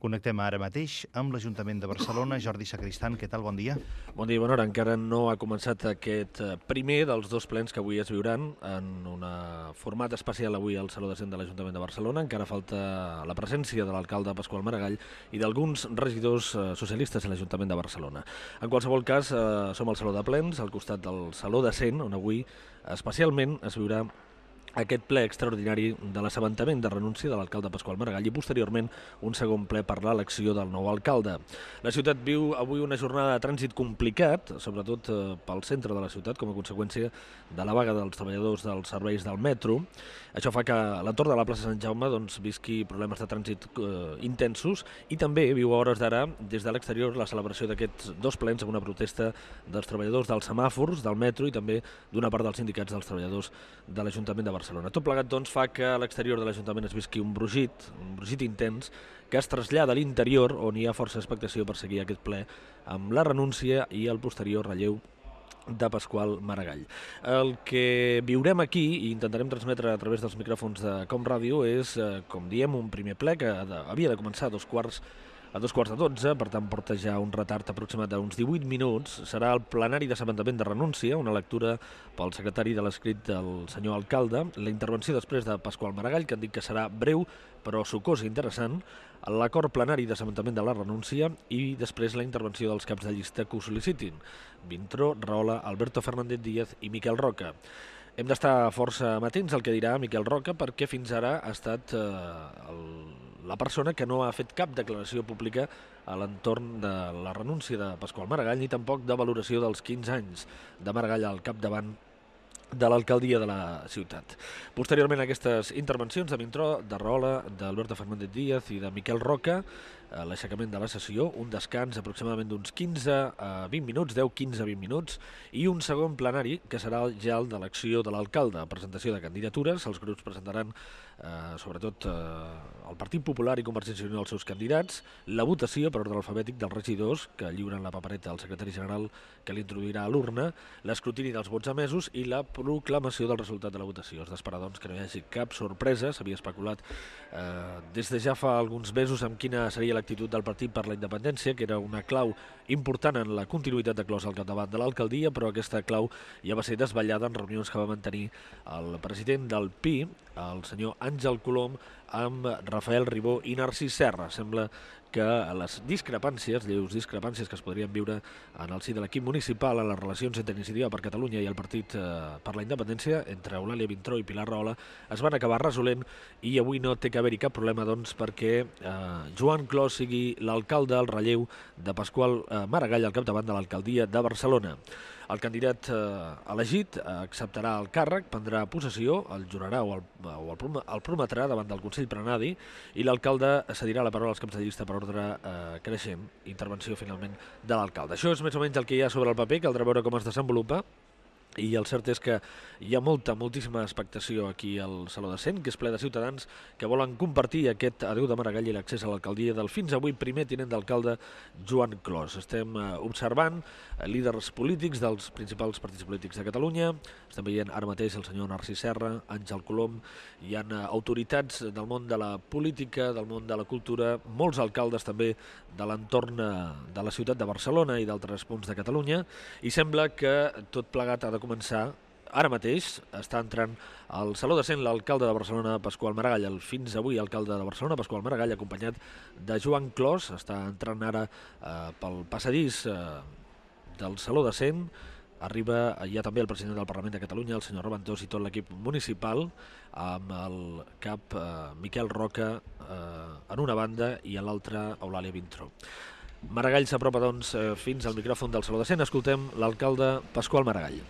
Connectem ara mateix amb l'Ajuntament de Barcelona. Jordi Sacristan, què tal? Bon dia. Bon dia, bona hora. Encara no ha començat aquest primer dels dos plens que avui es viuran en un format especial avui al Saló de Cent de l'Ajuntament de Barcelona. Encara falta la presència de l'alcalde Pasqual Maragall i d'alguns regidors socialistes a l'Ajuntament de Barcelona. En qualsevol cas, som al Saló de Plens, al costat del Saló de Cent, on avui especialment es viurà aquest ple extraordinari de l'assabentament de renúncia de l'alcalde Pasqual Maragall i posteriorment un segon ple per l'elecció del nou alcalde. La ciutat viu avui una jornada de trànsit complicat, sobretot pel centre de la ciutat, com a conseqüència de la vaga dels treballadors dels serveis del metro. Això fa que l'entorn de la plaça Sant Jaume visqui problemes de trànsit intensos i també viu a hores d'ara des de l'exterior la celebració d'aquests dos plens amb una protesta dels treballadors dels semàfors, del metro i també d'una part dels sindicats dels treballadors de l'Ajuntament de Barcelona. Tot plegat doncs, fa que a l'exterior de l'Ajuntament es visqui un brugit intens que es trasllada a l'interior on hi ha força expectació per seguir aquest ple amb la renúncia i el posterior relleu de Pasqual Maragall. El que viurem aquí i intentarem transmetre a través dels micròfons de Com Ràdio és, com diem, un primer ple que havia de començar a dos quarts de 12, per tant porta ja un retard aproximat d'uns 18 minuts. Serà el plenari d'assabentament de renúncia, una lectura pel secretari de l'escrit del senyor alcalde, la intervenció després de Pasqual Maragall, que han dit que serà breu però sucós i interessant, l'acord plenari d'assabentament de la renúncia i després la intervenció dels caps de llista que ho sol·licitin, Vintró, Rahola, Alberto Fernández Díaz i Miquel Roca. Hem d'estar força amatents al que dirà Miquel Roca perquè fins ara ha estat la persona que no ha fet cap declaració pública a l'entorn de la renúncia de Pasqual Maragall ni tampoc de valoració dels 15 anys de Maragall al capdavant de l'alcaldia de la ciutat. Posteriorment a aquestes intervencions de Vintró, de Rahola, d'Alberto Fernández Díaz i de Miquel Roca, l'aixecament de la sessió, un descans aproximadament d'uns 15 a 20 minuts, 10-15 a 20 minuts, i un segon plenari que serà ja el d'elecció de l'alcalde, presentació de candidatures. Els grups presentaran sobretot el Partit Popular i Convergència i Unió els seus candidats, la votació per ordre alfabètic dels regidors que lliuren la papereta al secretari general que l'introduirà a l'urna, l'escrutini dels vots emesos i la proclamació del resultat de la votació. És d'esperar doncs que no hi hagi cap sorpresa. S'havia especulat des de ja fa alguns mesos amb quina seria l'actitud del Partit per la Independència, que era una clau important en la continuïtat de Clos al capdavant de l'alcaldia, però aquesta clau ja va ser desvetllada en reunions que va mantenir el president del PI, el senyor Àngel Colom, amb Rafael Ribó i Narcís Serra. Sembla que les discrepàncies, lleus discrepàncies que es podrien viure en el si de l'equip municipal en les relacions entre Iniciativa per Catalunya i el Partit per la Independència, entre Eulàlia Vintró i Pilar Rahola, es van acabar resolent i avui no té que haver-hi cap problema doncs, perquè Joan Clos sigui l'alcalde al relleu de Pasqual Maragall al capdavant de l'alcaldia de Barcelona. El candidat elegit acceptarà el càrrec, prendrà possessió, el jurarà o el prometrà davant del Consell Plenari i l'alcalde cedirà la paraula als caps de llista per ordre creixent, intervenció finalment de l'alcalde. Això és més o menys el que hi ha sobre el paper, caldrà veure com es desenvolupa. I el cert és que hi ha moltíssima expectació aquí al Saló de Cent, que és ple de ciutadans que volen compartir aquest adéu de Maragall i l'accés a l'alcaldia del fins avui primer tinent d'alcalde Joan Clos. Estem observant líders polítics dels principals partits polítics de Catalunya, estem veient ara mateix el senyor Narcís Serra, Àngel Colom, hi ha autoritats del món de la política, del món de la cultura, molts alcaldes també de l'entorn de la ciutat de Barcelona i d'altres punts de Catalunya, i sembla que tot plegat ha de començar. Ara mateix està entrant al Saló de Cent l'alcalde de Barcelona, Pasqual Maragall, el fins avui alcalde de Barcelona, Pasqual Maragall, acompanyat de Joan Clos. Està entrant ara pel passadís del Saló de Cent. Arriba ja també el president del Parlament de Catalunya, el senyor Raventós, i tot l'equip municipal, amb el cap Miquel Roca en una banda i a l'altra Eulàlia Vintró. Maragall s'apropa doncs fins al micròfon del Saló de Cent. Escoltem l'alcalde Pasqual Maragall.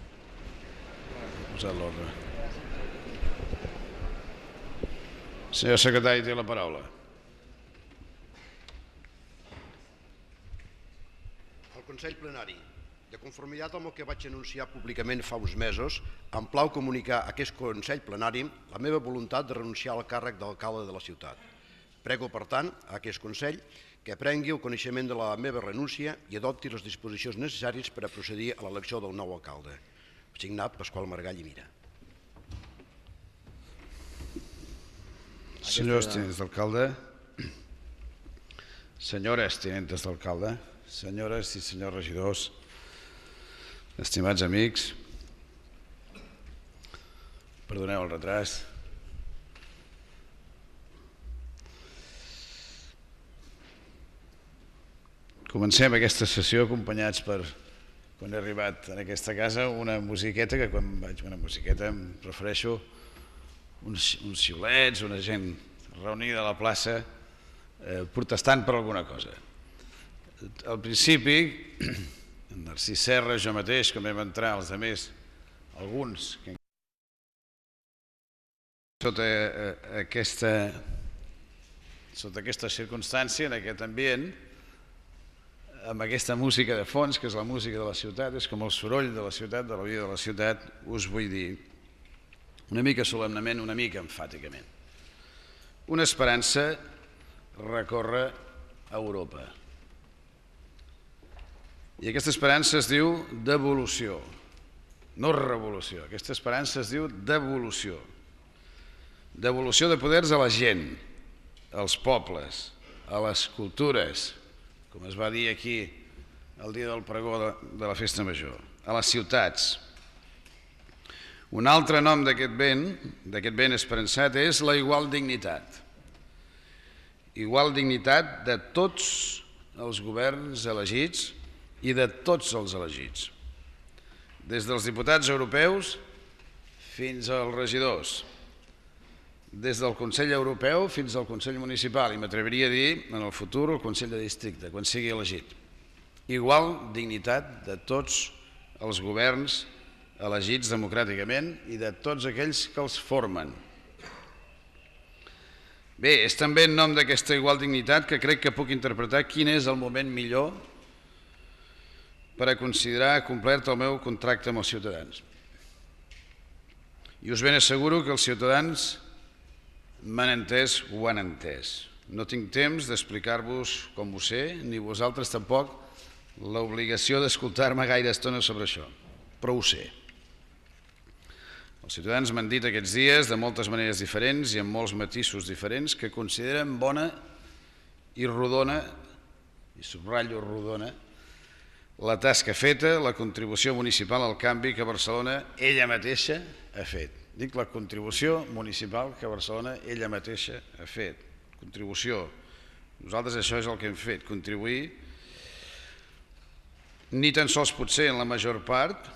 Posat l'ordre. Senyor secretari, té la paraula. El Consell Plenari, de conformitat amb el que vaig anunciar públicament fa uns mesos, em plau comunicar a aquest Consell Plenari la meva voluntat de renunciar al càrrec d'alcalde de la ciutat. Prego, per tant, a aquest Consell que prengui el coneixement de la meva renúncia i adopti les disposicions necessàries per a procedir a l'elecció del nou alcalde. Signat Pasqual Maragall i Mira. Senyors tinents d'alcalde, senyores tinentes d'alcalde, senyores i senyors regidors, estimats amics, perdoneu el retras. Comencem aquesta sessió acompanyats per, quan he arribat en aquesta casa, una musiqueta que quan vaig a una musiqueta em refereixo uns xiulets, una gent reunida a la plaça protestant per alguna cosa. Al principi, en Narcís Serra, jo mateix, com vam entrar, els altres, alguns, sota aquesta circumstància, en aquest ambient, amb aquesta música de fons, que és la música de la ciutat, és com el soroll de la ciutat, de la vida de la ciutat, us vull dir una mica solemnement, una mica emfàticament. Una esperança recorre Europa. I aquesta esperança es diu devolució, no revolució. Aquesta esperança es diu devolució. Devolució de poders a la gent, als pobles, a les cultures, com es va dir aquí el dia del pregó de la Festa Major, a les ciutats. Un altre nom d'aquest vent esperançat, és la igual dignitat. Igual dignitat de tots els governs elegits i de tots els elegits. Des dels diputats europeus fins als regidors, des del Consell Europeu fins al Consell Municipal, i m'atreviria a dir, en el futur, el Consell de Districte, quan sigui elegit. Igual dignitat de tots els governs elegits democràticament i de tots aquells que els formen. Bé, és també en nom d'aquesta igual dignitat que crec que puc interpretar quin és el moment millor per a considerar complert el meu contracte amb els ciutadans. I us ben asseguro que els ciutadans m'han entès o han entès. No tinc temps d'explicar-vos com ho sé, ni vosaltres tampoc l'obligació d'escoltar-me gaire estona sobre això, però ho sé. Els ciutadans m'han dit aquests dies, de moltes maneres diferents i amb molts matisos diferents, que consideren bona i rodona, i subratllo rodona, la tasca feta, la contribució municipal al canvi que Barcelona ella mateixa ha fet. Dic la contribució municipal que Barcelona ella mateixa ha fet. Contribució. Nosaltres això és el que hem fet, contribuir, ni tan sols potser en la major part,